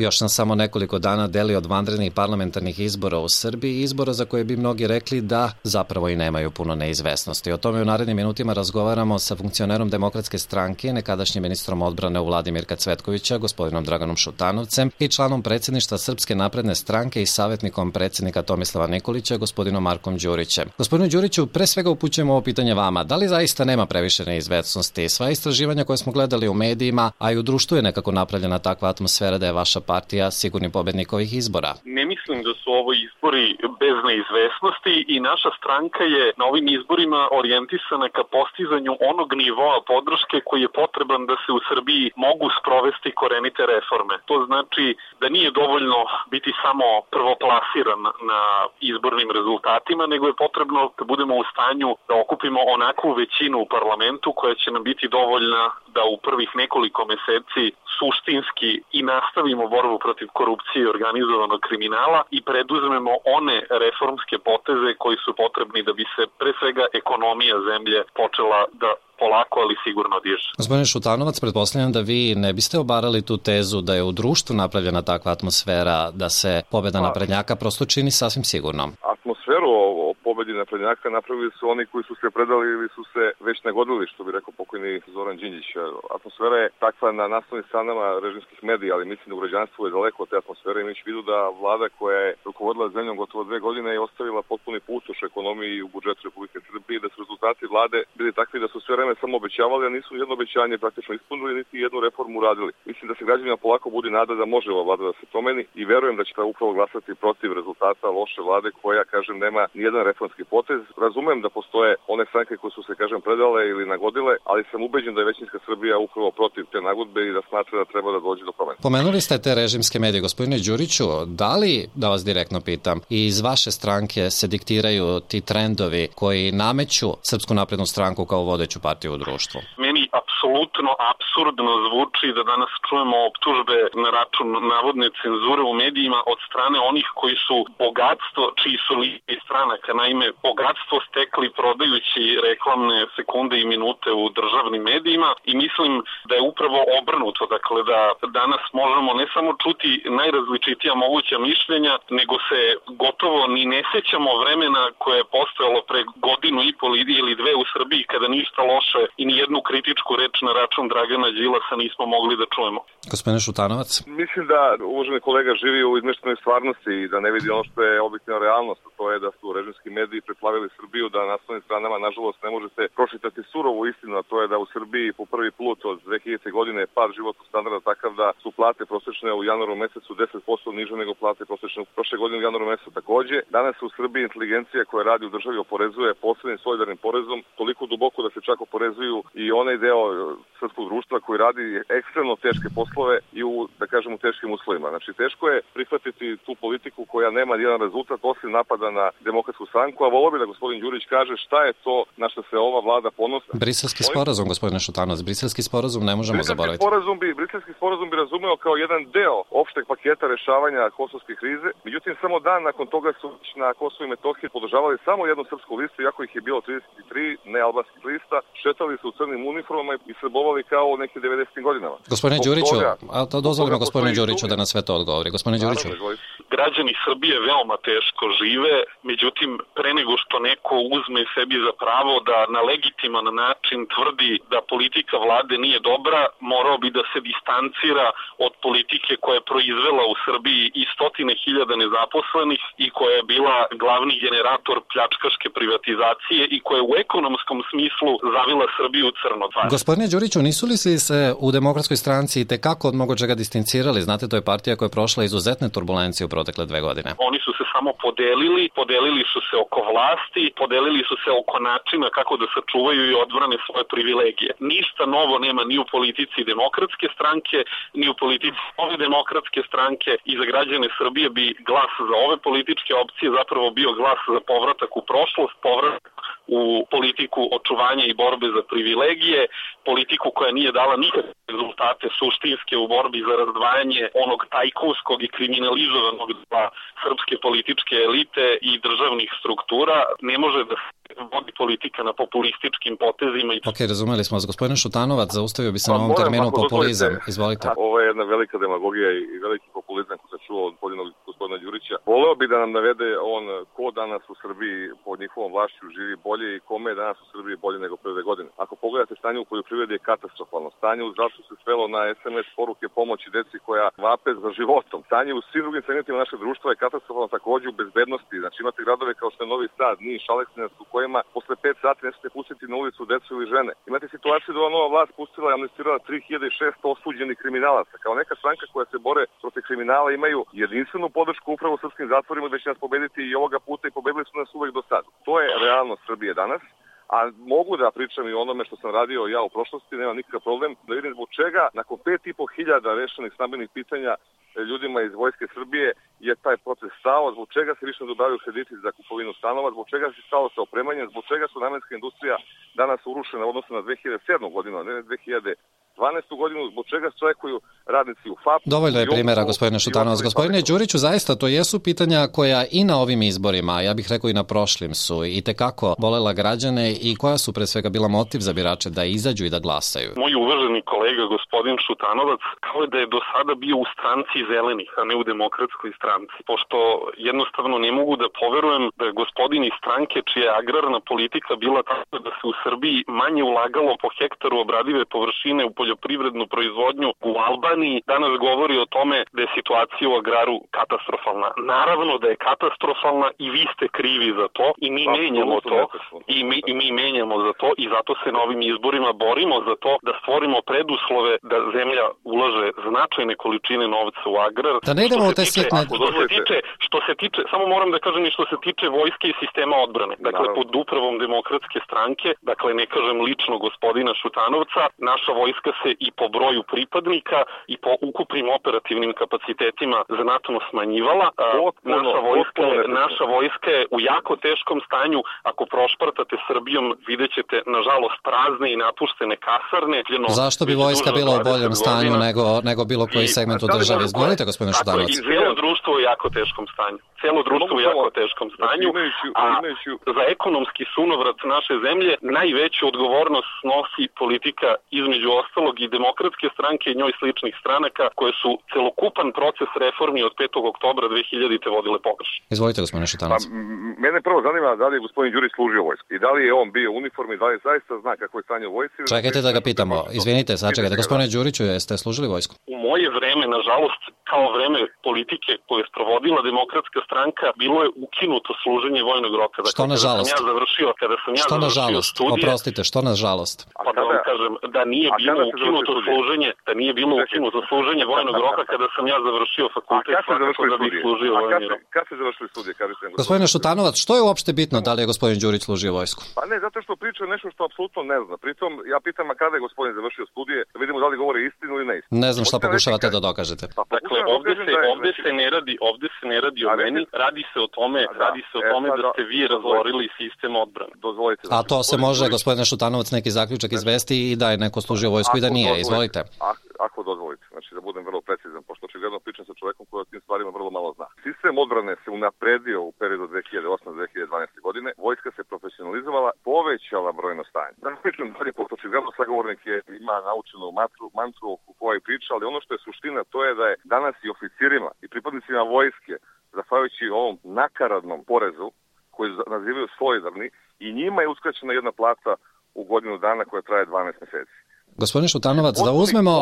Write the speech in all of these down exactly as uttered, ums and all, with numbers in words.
Još nam samo nekoliko dana deli od vanrednih parlamentarnih izbora u Srbiji, izbora za koje bi mnogi rekli da zapravo i nemaju puno neizvesnosti. O tome u narednim minutima razgovaramo sa funkcionerom Demokratske stranke, nekadašnjim ministrom odbrane u vladi Mirka Cvetkovića, gospodinom Draganom Šutanovcem i članom predsjedništva Srpske napredne stranke i savjetnikom predsjednika Tomislava Nikolića, gospodinom Markom Đurićem. Gospodinu Đuriću, pre svega upućujemo ovo pitanje vama. Da li zaista nema previše neizvesnosti? Sva istraživanja koje smo gledali u medijima, a i u društvu je nekako napravljena takva atmosfera da je vaša partija sigurni pobednik ovih izbora. Ne mislim da su ovo izbori bez neizvesnosti i naša stranka je na ovim izborima orijentisana ka postizanju onog nivoa podrške koji je potreban da se u Srbiji mogu sprovesti korenite reforme. To znači da nije dovoljno biti samo prvoplasiran na izbornim rezultatima, nego je potrebno da budemo u stanju da okupimo onakvu većinu u parlamentu koja će nam biti dovoljna da u prvih nekoliko meseci suštinski i nastavimo borbu protiv korupcije i organizovanog kriminala i preduzmemo one reformske poteze koji su potrebni da bi se pre svega ekonomija zemlje počela da polako, ali sigurno diže. Gospodine Šutanovac, pretpostavljam da vi ne biste obarali tu tezu da je u društvu napravljena takva atmosfera da se pobeda naprednjaka prosto čini sasvim sigurno. Atmosferu o pobedi naprednjaka napravili su oni koji su se predali ili su se već nagodili, što bi rekao pokojni Zoran Đinđić. Atmosfera je takva na naslovnim stranama režimskih medija, ali mislim da u građanstvu je daleko od te atmosfere, imajući vidu da vlada koja je rukovodila zemljom gotovo dve godine je ostavila potpuni pustoš ekonomiji i u budžetu Republike Srbije, da su rezultati vlade bili takvi da su sve vreme samo obećavali, a nisu jedno obećanje praktično ispunili, niti jednu reformu uradili. Mislim da se građanima polako budi nada da može ova vlada da se promeni i verujem da će ta upravo glasati protiv rezultata loše vlade koja, kažem, nema nijedan reformski potez. Razumem da postoje one stranke koje su se, kažem, predale ili nagodile, ali sam ubeđen da je većinska Srbija upravo protiv te nagodbe i da smatra da treba da dođe do promene. Pomenuli ste te režimske medije, gospodine Đuriću, da li, da vas direktno pitam, i iz vaše stranke se diktiraju ti trendovi koji nameću Srpsku naprednu stranku kao vodeću partiju u društvu? Meni apsolutno apsurdno zvuči da danas čujemo optužbe na račun navodne cenzure u medijima od strane onih koji su bogatstvo, čiji su listi stranaka, naime bogatstvo stekli prodajući reklamne sekunde i minute u državnim medijima i mislim da je upravo obrnuto, dakle da danas možemo ne samo čuti najrazličitija moguća mišljenja, nego se gotovo ni ne sećamo vremena koje je postojalo pre godinu i pol ili dve u Srbiji kada ništa loše i ni jednu kritičku reč na račun Dragana Đilasa nismo mogli da čujemo. Gospodine Šutanovac? Mislim da uvaženi kolega živi u izmeštenoj stvarnosti i da ne vidi ono što je objektivna realnost, a to je da su režimski mediji preplavili Srbiju, da na naslovnim stranama nažalost ne možete pročitati surovu istinu, a to je da u Srbiji po prvi put od dve hiljadite godine je pad životnog standarda takav da su plate prosečne u januaru mesecu deset posto niže nego plate prosečne u prošle godine u januaru mesecu takođe. Danas u Srbiji inteligencija koja radi u državi oporezuje posebnim solidarnim porezom toliko duboko da se čak oporezuju i onaj deo srpskog društva koji radi ekstremno teške poslove i u, da kažem, u teškim uslovima. Znači, teško je prihvatiti tu politiku koja nema jedan rezultat osim napada na Demokratsku stranku, a volio bi da gospodin Đurić kaže šta je to na što se ova vlada ponosa. Briselski sporazum, gospodine Šutanovac, briselski sporazum ne možemo briselski zaboraviti. Sporazum bi, briselski sporazum bi razumeo kao jedan deo opšteg paketa rešavanja kosovske krize. Međutim, samo dan nakon toga su na Kosovu i Metohiji podržavali samo jednu srpsku listu, iako ih je bilo trideset tri nealbanskih lista, šetali su u crnim uniformama i srbovali kao u nekim devedesetim godinama. Gospodine Đuriću, a to dozvolimo gospodinu Đuriću da na sve to odgovori. Gospodine Đuriću. Građani Srbije veoma teško žive, međutim, pre nego što neko uzme sebi za pravo da na legitiman način tvrdi da politika vlade nije dobra, morao bi da se distancira od politike koja je proizvela u Srbiji i stotine hiljada nezaposlenih i koja je bila glavni generator pljačkaške privatizacije i koja je u ekonomskom smislu zavila Srbiju u crno. Gospodine Đuriću, nisu li se u Demokratskoj stranci tekako od mnogo čega distancirali? Znate, to je partija koja je prošla izuzetne turbulencije u protekle dve godine. Oni su se samo podelili, podelili su se oko vlasti, podelili su se oko načina kako da sačuvaju i odbrane svoje privilegije. Ništa novo nema ni u politici Demokratske stranke, ni u politici ove Demokratske stranke i za građane Srbije bi glas za ove političke opcije zapravo bio glas za povratak u prošlost, povratak u politiku očuvanja i borbe za privilegije, politiku koja nije dala nikakve rezultate suštinske u borbi za razdvajanje onog tajkunskog i kriminalizovanog dela srpske političke elite i državnih struktura. Ne može da se vodi politika na populističkim potezima. Ok, razumeli smo vas. Gospodine Šutanovac, zaustavio bi se pa na ovom terminu populizam. Izvolite. Ovo je jedna velika demagogija i veliki populizam. da nam navede on ko danas u Srbiji pod njihovom vlašću živi bolje i kome je danas u Srbiji bolje nego pre dve godine. Ako pogledate, stanje u poljoprivredi je katastrofalno. Stanje u zdravstvu se svelo na es em es poruke pomoći deci koja vape za životom. Stanje u svim drugim segmentima našeg društva je katastrofalno, takođe u bezbednosti. Znači imate gradove kao što je Novi Sad, Niš, Aleksinac, u kojima posle pet sati ne smete pustiti na ulicu decu ili žene. Imate situaciju da ova nova vlast pustila i amnestirala tri hiljade šesto osuđenih kriminalaca. Kao neka stranka koja se bore protiv kriminala imaju jedinstvenu podršku upravo u srpskim zatvorima da će nas pobediti i ovoga puta i pobedili su nas uvek do sada. To je realnost Srbije danas. A mogu da pričam i onome što sam radio ja u prošlosti, nema nikakav problem, da vidim zbog čega nakon pet i po hiljada rešenih stambenih pitanja ljudima iz Vojske Srbije je taj proces stao, zbog čega se više ne dobavljaju krediti za kupovinu stanova, zbog čega se stalo sa opremanjem, zbog čega su namenska industrija danas urušena u odnosu na dve hiljade sedmu godinu, a ne dve hiljade dvanaestu godinu, zbog čega se čekuju radnici u fapu. Dovoljno je primjera, gospodine Šutanovac. Gospodine Đuriću, zaista to jesu pitanja koja i na ovim izborima, ja bih rekao i na prošlim, su i tekako bolela građane i koja su pre svega bila motiv za birače da izađu i da glasaju. Moj uvaženi kolega, gospodin Šutanovac, kao da je do sada bio u stranci zelenih, a ne u demokratskoj stranci, pošto jednostavno ne mogu da poverujem da je gospodin iz stranke čija je agrarna politika bila tako da se u Srbiji manje ulagalo po hektaru obradive površine u poljoprivrednu proizvodnju u Albaniji, danas govori o tome da je situacija u agraru katastrofalna. Naravno da je katastrofalna i vi ste krivi za to i mi menjamo to i mi, i mi menjamo za to i zato se na ovim izborima borimo za to da stvorimo preduslove da zemlja ulaže značajne količine novca u agrar. Da ne idemo u te sitne... Što se tiče, što se tiče, samo moram da kažem i što se tiče vojske i sistema odbrane. Dakle, pod upravom Demokratske stranke, dakle ne kažem lično gospodina Šutanovca, naša vojska se i po broju pripadnika i po ukupnim operativnim kapacitetima znatno smanjivala. Naša vojska, naša vojska je u jako teškom stanju. Ako prošpartate Srbijom, vidjet ćete, nažalost, prazne i napuštene kasarne. Zašto bi vojska bila u boljem stanju nego, nego bilo koji segment u državi? Izvolite, gospodine Šutanovac. I cijelo društvo u jako teškom stanju. Cijelo društvo u jako teškom stanju, a za ekonomski sunovrat naše zemlje najveću odgovornost snosi politika između ostalog i Demokratske stranke i njoj sličnih stranaka koje su celokupan proces reformi od petog oktobra dve hiljadite vodile pogrešno. Izvolite, gospodine Šutanovac. Pa, mene prvo zanima da li je gospodin Đurić služio vojsku i da li je on bio u uniformi, da li zaista zna kako je stanje u vojsci. Čekajte da ga pitamo. Izvinite, sačekajte. Gospodine Đuriću, jeste služili vojsku? U moje vreme, nažalost, kao vreme politike koje je sprovodila Demokratska stranka, bilo je ukinuto služenje vojnog roka. Dakle, što nažalost? Kada sam ja završio, kada sam ja što završio nažalost? studije... Oprostite, što nažalost? Pa da vam kažem, da nije bilo ukinuto služenje, da nije bilo ukinuto služenje vojnog roka kada sam ja završio fakultet, svakako da bih služio vojni rok. Kad ste završili studije? Gospodine Šutanovac, što je uopšte bitno da li je gospodin Đurić služio vojsku? Pa ne, zato što priča nešto što apsolutno ne zna. Pritom, ja pitam, a kada je gospodin završio studije, da vidimo da li govori istinu ili neistinu. Ne znam šta pokušavate da dokažete. Dakle, ovde se, ovde se ne radi, ovde se ne radi o meni, radi se o tome, radi se o tome da ste vi razorili sistem odbrane. Dozvolite. A to se može, gospodine Šutanovac, neki zaključak izvesti i da je neko služio vojsku i da nije. Izvolite. Ako dozvolite, znači da budem vrlo precizan, pošto očigledno pričam sa čovekom koji o tim stvarima vrlo malo zna. Sistem odbrane se unapredio u periodu dve hiljade osme do dve hiljade dvanaeste. godine, vojska se profesionalizovala, povećala brojno stanje. Da pričam dalje, pošto očigledno sagovornik je, ima naučenu mantru, mantru u kojoj priča, ali ono što je suština to je da je danas i oficirima i pripadnicima vojske, zahvaljujući ovom nakaradnom porezu koji nazivaju solidarni, i njima je uskraćena jedna plata u godinu dana koja traje dvanaest meseci. Gospodine Šutanovac, da uzmemo,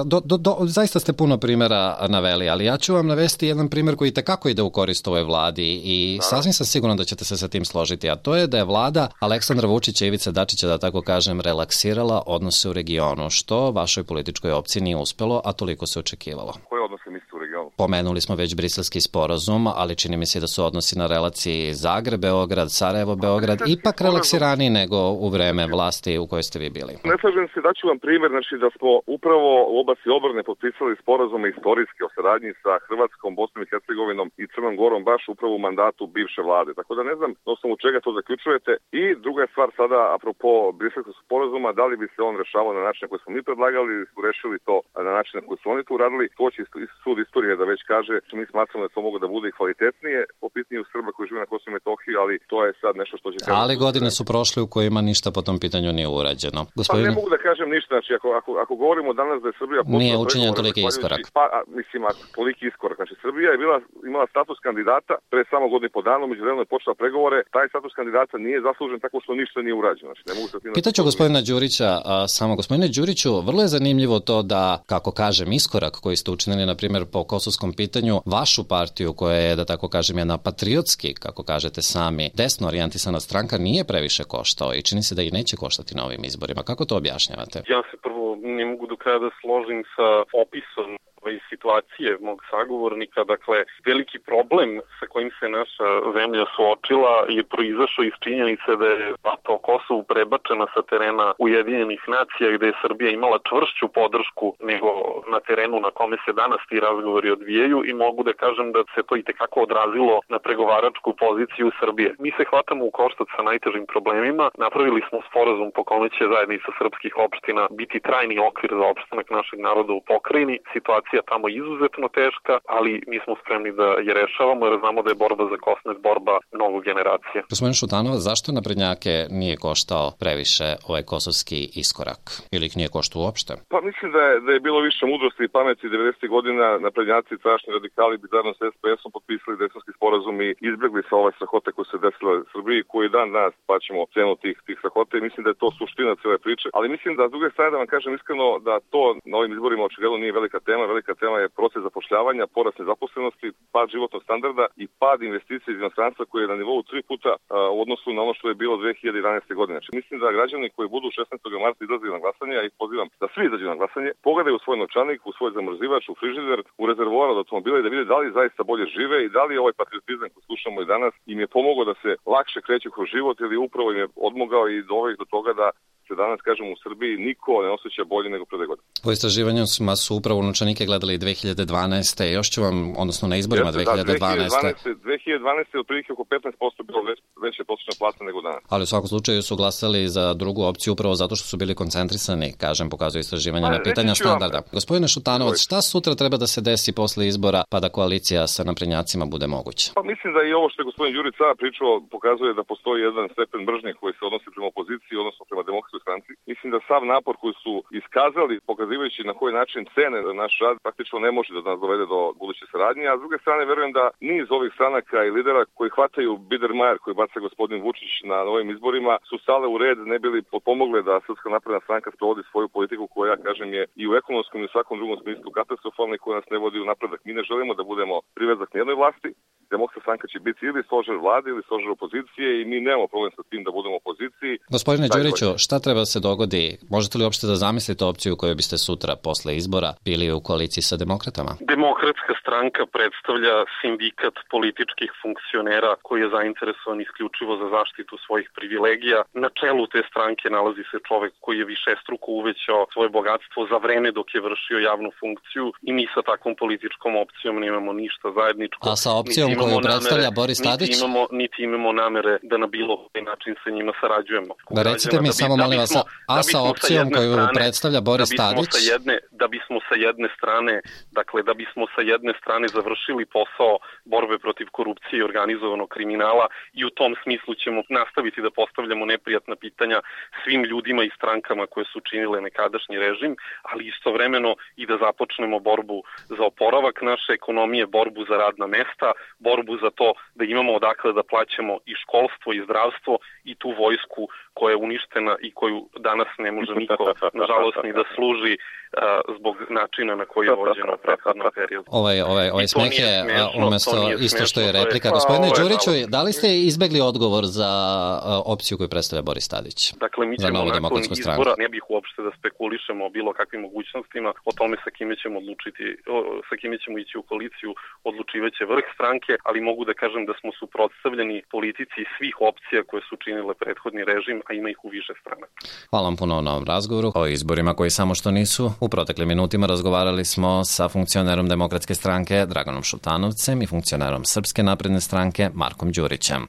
do, do, do, zaista ste puno primjera naveli, ali ja ću vam navesti jedan primjer koji tekako ide u korist ovoj vladi i sasvim sam siguran da ćete se sa tim složiti, a to je da je vlada Aleksandra Vučića i Ivice Dačića, da tako kažem, relaksirala odnose u regionu, što vašoj političkoj opciji nije uspelo, a toliko se očekivalo. Koje odnose mislite u regionu? Pomenuli smo već briselski sporazum, ali čini mi se da su odnosi na relaciji Zagreb-Beograd, Sarajevo-Beograd ipak relaksiraniji nego u vreme vlasti u kojoj ste vi bili. Ne slažem se, daću vam primjer, znači da smo upravo u oblasti odbrane potpisali sporazume istorijske o saradnji sa Hrvatskom, Bosnom i Hercegovinom i Crnom Gorom baš upravo u mandatu bivše vlade. Tako da ne znam na osnovu čega to zaključujete. I druga je stvar sada, apropo briselskog sporazuma, da li bi se on rešavao na način na koji smo mi predlagali ili su rešili to na način na koji su oni to uradili. To će sud istorije da već kaže, mi smatramo da to mogu da bude i kvalitetnije po pitanju Srba koji žive na Kosovu i Metohiji, ali to je sad nešto što će... Ali godine su prošle u kojima ništa po tom pitanju nije urađeno. Gospodine... Pa ne mogu da kažem ništa ništa. Znači, ako, ako, ako govorimo danas da je Srbija... Nije učinjen toliki iskorak. Pa, a, mislim, a, toliki iskorak. Znači, Srbija je bila, imala status kandidata pre samo godinu po danu, međuvremeno je počela pregovore. Taj status kandidata nije zaslužen tako što ništa nije urađeno. Znači, ne mogu se Pitaću gospodina Đurića, a, samo gospodine Đuriću, vrlo je zanimljivo to da, kako kažem, iskorak koji ste učinili, na primjer, po kosovskom pitanju, vašu partiju koja je, da tako kažem, jedna patriotski, kako kažete sami, desno orijentisana stranka, nije previše koštao i čini se da i neće koštati na ovim izborima. Kako to objašnjavate? Ja se prvo ne mogu do kraja da složim sa opisom ove situacije mog sagovornika. Dakle, veliki problem sa kojim se naša zemlja suočila je proizašao iz činjenice da je debata o Kosovu prebačena sa terena Ujedinjenih nacija, gde je Srbija imala čvršću podršku nego na terenu na kome se danas ti razgovori odvijaju, i mogu da kažem da se to i tekako odrazilo na pregovaračku poziciju Srbije. Mi se hvatamo u koštac sa najtežim problemima. Napravili smo sporazum po kome će zajednica srpskih opština biti trajni okvir za opstanak našeg naroda u pokrajini. Situacija tamo izuzetno teška, ali mi smo spremni da je rešavamo jer znamo da je borba za Kosmet borba mnogo generacija. Gospodin Šutanovac, zašto naprednjake nije koštao previše ovaj kosovski iskorak? Ili ih nije koštao uopšte? Pa mislim da je, da je bilo više mudrosti i pameti devedesetih godina. Naprednjaci, strašni radikali bi zajedno sa es pe esom potpisali Dejtonski sporazum i izbjegli sa ove strahote koje se desile u Srbiji, koji dan danas plaćamo cenu tih, tih strahote, i mislim da je to suština cijele priče. Ali mislim da s druge strane, da vam kažem iskreno, da to na ovim izborima očigledno nije velika tema. Velika tema je proces zapošljavanja, porast nezaposlenosti, pad životnog standarda i pad investicija iz inostranstva koji je na nivou tri puta a, u odnosu na ono što je bilo dve hiljade jedanaeste. godine. Znači, mislim da građani koji budu šesnaestog marta izlazili na glasanje, ja ih pozivam da svi izađu na glasanje, pogledaju u svoj novčanik, u svoj zamrzivač, u frižider, u rezervoar od automobila i da vide da li zaista bolje žive i da li ovaj patriotizam koji slušamo i danas im je pomogao da se lakše kreću kroz život, ili upravo im je odmogao i doveo do toga da se danas, kažem, u Srbiji niko ne osjeća bolje nego pre dve godine. Po istraživanju su upravo novčanike gledali dve hiljade dvanaeste. Još ću vam, odnosno na izborima dve hiljade dvanaeste. Da, dve hiljade dvanaeste je otprilike oko petnaest posto bilo već, veća prosječna plata nego danas. Ali u svakom slučaju su glasali za drugu opciju upravo zato što su bili koncentrisani, kažem, pokazuje istraživanje na pitanja standarda. Gospodine Šutanovac, šta sutra treba da se desi posle izbora pa da koalicija sa naprednjacima bude moguća? Pa mislim da i ovo što je gospodin Đurić sada pričao pokazuje da postoji jedan stepen mržnje koji se odnosi prema opoziciji, odnosno prema demokratskoj stranci. Mislim da sav napor koji su iskazali, pokazivajući na koji način cene naš rad, praktično ne može da nas dovede do buduće saradnje, a s druge strane verujem da niz ovih stranaka i lidera koji hvataju Biedermajer koji baca gospodin Vučić na novim izborima su stale u red, ne bili pomogle da Srpska napredna stranka sprovodi svoju politiku koja, ja kažem, je i u ekonomskom i u svakom drugom smislu katastrofalna i koja nas ne vodi u napredak. Mi ne želimo da budemo privezak nijednoj vlasti. Demokratska stranka će biti ili stožer vlade ili stožer opozicije i mi nemamo problem sa tim da budemo u opoziciji. Gospodine Đuriću, šta treba da se dogodi? Možete li uopšte da zamislite opciju koju biste sutra posle izbora bili u koaliciji sa demokratama? Demokratska stranka predstavlja sindikat političkih funkcionera koji je zainteresovan isključivo za zaštitu svojih privilegija. Na čelu te stranke nalazi se čovek koji je višestruko uvećao svoje bogatstvo za vreme dok je vršio javnu funkciju i mi sa takvom političkom opcijom nemamo ništa zajedničko. A sa opcijom koju predstavlja Boris Tadić? Niti imamo, niti imamo namere da na bilo koji način sa njima sarađujemo. Da recite mi da bi, samo, molim vas, a sa opcijom koju strane, predstavlja Boris da Tadić? Sa jedne, da bismo sa jedne strane, dakle, da bismo sa jedne strane završili posao borbe protiv korupcije i organizovanog kriminala i u tom smislu ćemo nastaviti da postavljamo neprijatna pitanja svim ljudima i strankama koje su činile nekadašnji režim, ali istovremeno i da započnemo borbu za oporavak naše ekonomije, borbu za radna mesta, borbu za to da imamo odakle da plaćamo i školstvo i zdravstvo i tu vojsku koja je uništena i koju danas ne može niko, nažalost, ni da služi uh, zbog načina na koji je vođeno u prethodnom periodu. Ovaj, ovaj, ovaj smeh je umesto isto što je replika. Je, Gospodine pa, Đuriću, da li ste izbegli odgovor za uh, opciju koju predstavlja Boris Tadić? Dakle, mi ćemo nakon izbora, ne bih uopšte da spekulišemo o bilo kakvim mogućnostima, o tome sa kime ćemo odlučiti, o, sa kime ćemo ići u koaliciju, odlučivaće vrh stranke, ali mogu da kažem da smo suprotstavljeni politici svih opcija koje su činile prethodni režim, a ima ih u više strana. Hvala vam puno na ovom razgovoru. O izborima koji samo što nisu. U proteklim minutima razgovarali smo sa funkcionerom Demokratske stranke Draganom Šutanovcem i funkcionerom Srpske napredne stranke Markom Đurićem.